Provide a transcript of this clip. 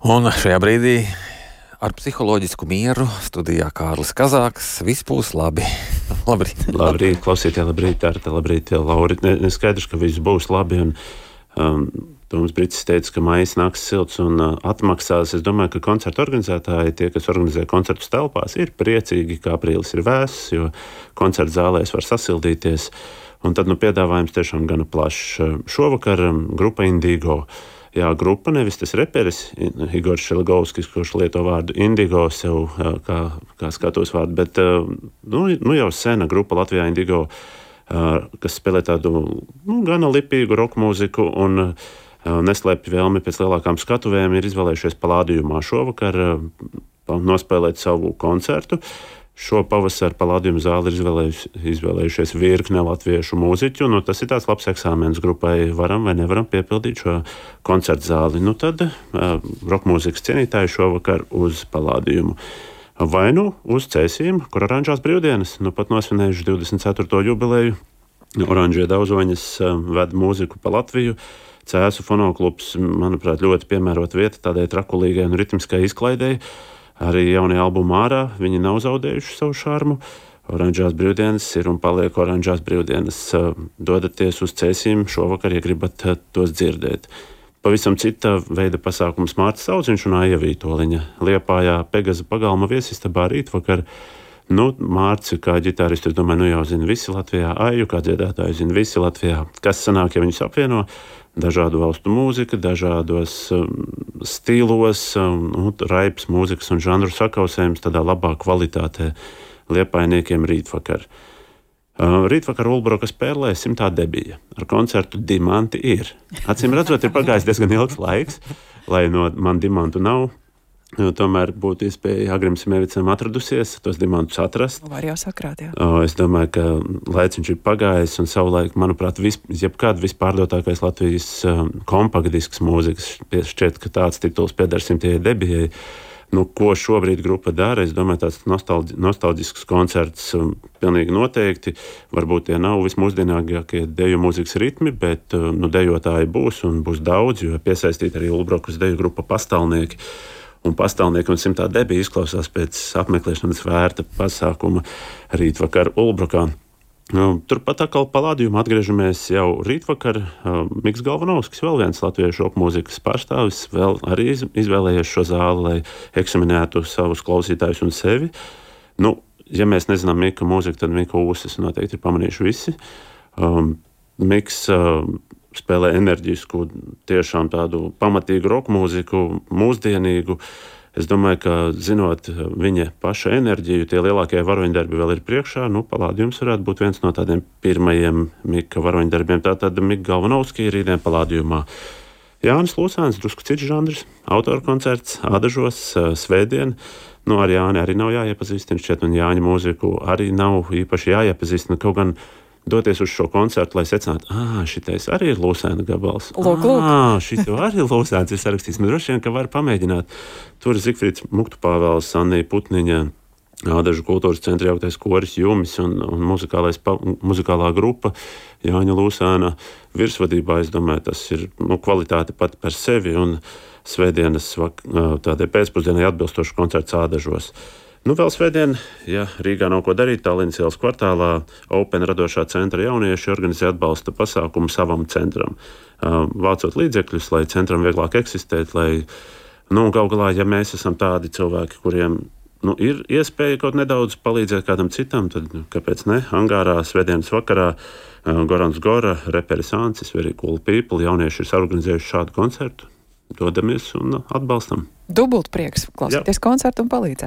Un šajā brīdī ar psiholoģisku mieru studijā Kārlis Kazāks. Viss būs labi. Labrīt. Labrīt, klausītāji, labrīt, Arta, labrīt, Lauri. Neskaidrs, ka viss būs labi. Toms Brits teica, ka maijs nāks silts un atmaksās. Es domāju, ka koncertu organizētāji, tie, kas organizē koncertus telpās, ir priecīgi, ka aprīlis ir vēss, jo koncertu zālēs var sasildīties. Un tad piedāvājums tiešām gana plašs. Šovakar grupa Indigo. Jā, grupa, nevis tas reperis, Igors Šeligovskis, kurš lieto vārdu Indigo sev kā skatos vārdu, bet jau sena grupa Latvijā Indigo, kas spēlē tādu gana lipīgu rock mūziku un neslēpj vēlmi pēc lielākām skatuvēm, ir izvēlējušies Palādījumā šovakar nospēlēt savu koncertu. Šo pavasaru Palādījuma zāli ir izvēlējušies virkne latviešu mūziķu. Tas ir tāds labs eksāmens grupai, varam vai nevaram piepildīt šo koncertu zāli. Tad rokmūzikas cienītāji šovakar uz Palādījumu. Vai uz Cēsīm, kur Oranžās brīvdienas, pat nosvinējuši 24. jubileju. Oranžie Dauzoņas ved mūziku pa Latviju. Cēsu fonoklubs, manuprāt, ļoti piemērota vieta tādai trakulīgai un ritmiskai izklaidei. Arī jaunie albumi ārā, viņi nav zaudējuši savu šarmu. Oranžās brīvdienas ir un paliek oranžās brīvdienas. Dodaties uz Cēsīm šovakar, ja gribat tos dzirdēt. Pavisam cita veida pasākums Mārcis Audziņš un Aija Vītoliņa. Liepājā Pegaza pagalma viesistabā rītvakar. Mārci kā ģitāristu, es domāju, jau zina visi Latvijā. Aiju kā dziedātāju zina visi Latvijā. Kas sanāk, ja viņus apvieno? Dažādu valstu mūzika, dažādos stilos, raips mūzikas un žanru sakausējums tādā labā kvalitātē liepājniekiem rītvakar. Rītvakar Ulbroka spēlē 100. debija. Ar koncertu Dimanti ir. Acīm redzot, ir pagājis diezgan ilgs laiks, lai no man dimantu nav. Tomēr būtu iespēja Agrim Simevicam atradusies, tos dimantus atrast. Var jau sakrāt, jā. Es domāju, ka laiciņš ir pagājis un savulaik, manuprāt, jebkād vispārdotākais Latvijas kompaktdisks mūzikas. Šķiet, ka tāds tituls pieder 100. debijai. Ko šobrīd grupa dara? Es domāju, tāds nostalģisks koncerts pilnīgi noteikti. Varbūt tie nav vismūsdienākākie deju mūzikas ritmi, bet dejotāji būs un būs daudz, jo piesaistīt arī Ulbrokas deju grupa Pastāvnieki. Un Pastāvnieki un 100. debija izklausās pēc apmeklēšanas vērta pasākuma rītvakar Ulbrokā. Turpat atkal Palādījumā atgriežamies jau rītvakar. Miks Galvanovskis, vēl viens latviešu rokmūzikas pārstāvis, vēl arī izvēlējies šo zāli, lai eksaminētu savus klausītājus un sevi. Ja mēs nezinām Mika mūziku, tad Mika ūsas noteikti ir pamanījuši visi. Miks spēlē enerģisku, tiešām tādu pamatīgu rokmūziku, mūsdienīgu. Es domāju, ka zinot viņa paša enerģiju, tie lielākie varoņdarbi vēl ir priekšā. Palādījums varētu būt viens no tādiem pirmajiem Mika varoņdarbiem. Tātad Mika Galvanovski ir rītdien Palādījumā. Jānis Lūsāns, drusku cits žanrs, autora koncerts Ādažos, svētdien. Ar Jāni arī nav jāiepazīstina šķiet, un Jāņa mūziku arī nav īpaši jāiepazīstina, kaut gan doties uz šo koncertu, lai secinātu, šitais arī ir Lūsēna gabals. Lūk. Šito arī Lūsēns ir sarakstījis. Man droši vien, ka var pamēģināt. Tur ir Zigfrīds Muktupāvēls, Annija Putniņa, Ādažu kultūras centra jauktais koris Jumis un muzikālā grupa Jāņa Lūsēna virsvadībā. Es domāju, tas ir kvalitāte pati par sevi un svētdienas tādai pēcpusdienai atbilstošu koncerts Ādažos. Vēl svētdien, ja Rīgā nav ko darīt, Tallinas ielas kvartālā Open radošā centra jaunieši organizē atbalsta pasākumu savam centram. Vācot līdzekļus, lai centram vieglāk eksistēt, lai, gal galā, ja mēs esam tādi cilvēki, kuriem ir iespēja kaut nedaudz palīdzēt kādam citam, tad kāpēc ne? Angārā svētdienas vakarā Gorans Gora, reperis Ancis, Very Cool People, jaunieši ir organizējuši šādu koncertu. Dodamies un atbalstam. Dubult prieks klausīties koncertu un palīdzēt.